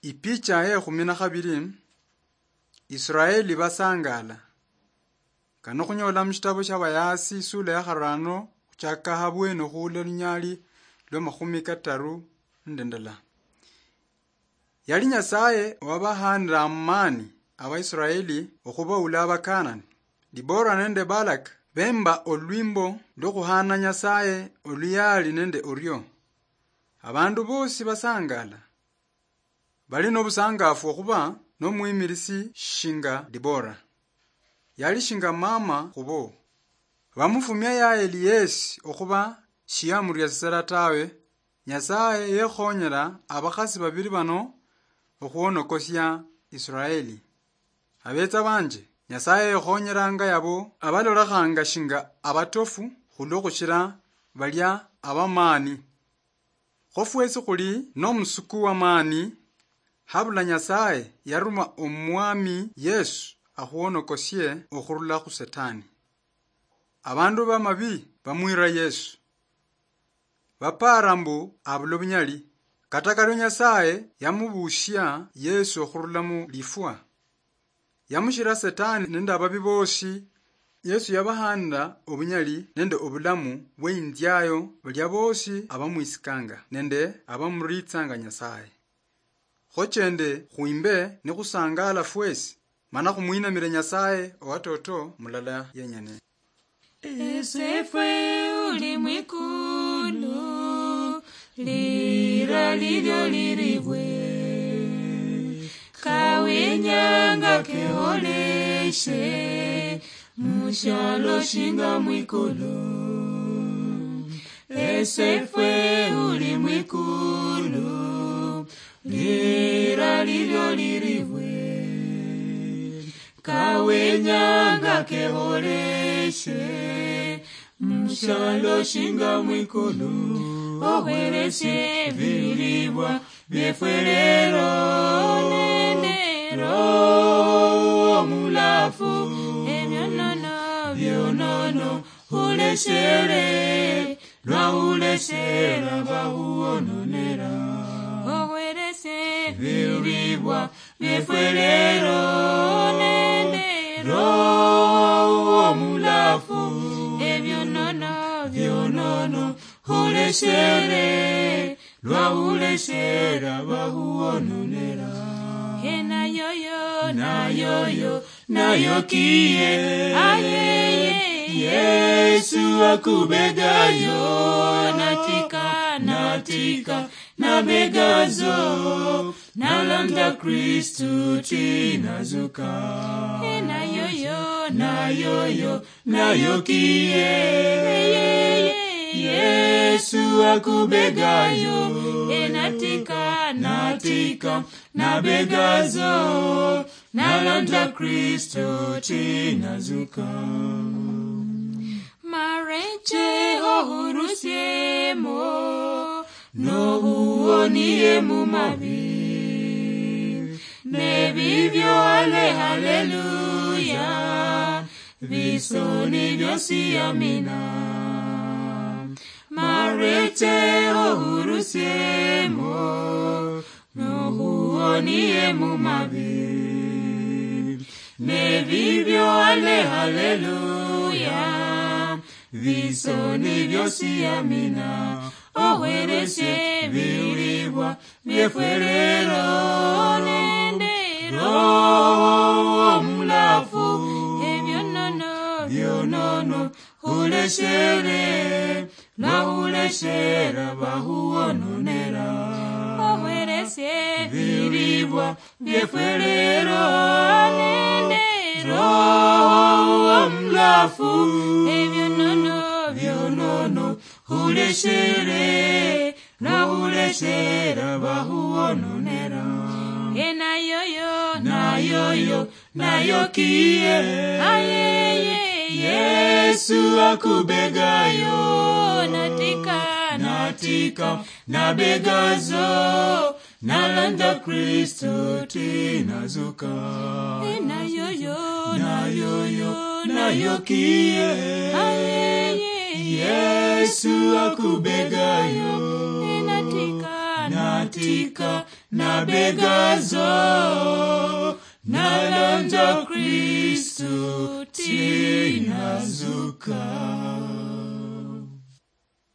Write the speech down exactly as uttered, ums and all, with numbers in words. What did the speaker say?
Ipicha ye khumi na khabili, Israeli basangala. Kano khunyola mushitabo shia Bayasi isula ya kharano khuchaka habwene okhuula lunyali lwa makhumi kataru nende ndala. Yali Nyasaye owabahanira amaani Abaisiraeli okhubaula Abakanani. Dibora nende Balak bemba olwimbo lwokhuhana Nyasaye oluyaali nende orio. Abandu bosi basangala. Bali nobusangafu okhuba nomwimilisi shinga Dibora. Yali shinga mama khubo. Bamufumia Yaeli yesi okhuba shiyamuriasisera tawe. Nyasaye yekhonyera abakhasi babili bano okhwonokosia Israeli. Abetsa banje, Nyasaye yekhonyeranga yabo abalolekhanga shinga abatofu khulwo khushira balia abamaani. Kho fwesi khuli nomusuku wamaani, habula Nyasaye yaruma Omwami Yesu akhuwonokosie okhurula khu Setani. Abandu bamabi bamwira Yesu. Bapara mbu abula obunyali. Kata kario Nyasaye yamubushia Yesu okhurula mu lifwa. Yamushira Setani nende ababi bosi. Yesu yabahanira obunyali nende obulamu bweinziayo balia bosi abamwisikanga nende abamuritsanga Nyasaye. Khochende khwimbe nikhusangala fwesi, mana khumwinamire Nyasaye owatoto mulala yenyene. Esefwe uli mwikulu, lira lilio liribwe, kawinyanga keholeshe, mushialo shinga mwikulu. Esefwe uli mwikulu, lira lilio liribwe, kawenyanga keholeshe, mushialo shinga mwikulu, ohwereshe ebilibwa biefwe lero, nende Roho Mulafu, ebionono, bionono, huleshere, lwa huleshera bahuononera. Ohwereshe ebilibwa biefwe lero, nende Roho Mulafu, ebionono, bionono, huleshere, lwa huleshera bahuononera. He nayoyo, nayoyo, nayokiye, ayeye, Yesu akubegayo, natika, natika, nabegazo, nalanda Kristu tinazuka. He nayoyo, nayoyo, nayokiye, Yesu akubegayo, enatika, natika, nabegazo, nalanda Kristu tinazuka. Mareche ohurusiemo, nohuonie mumabi, nebibyo ale haleluya, bisoni byosi amina. Mareche ohurusiemo, nohuonie mumabi, nebibyo ale haleluya, bisoni byosi amina. Ohwereshe ebilibwa biefwe lero, nende Roho Mulafu, ebionono, bionono, huleshere, lwa huleshera bahuononera. Ohwereshe ebilibwa biefwe lero, nende Roho Mulafu, ebionono, bionono, huleshere, lwa huleshera bahuononera. He nayoyo, nayoyo, nayokiye, ayeye, Yesu akubegayo, natika, natika, nabegazo, nalanda Kristu tinazuka. He nayoyo, nayoyo, nayokiye, ayeye, Yesu akubegayo, enatika, Matika nabegazo, nalonja Kristu tinazuka.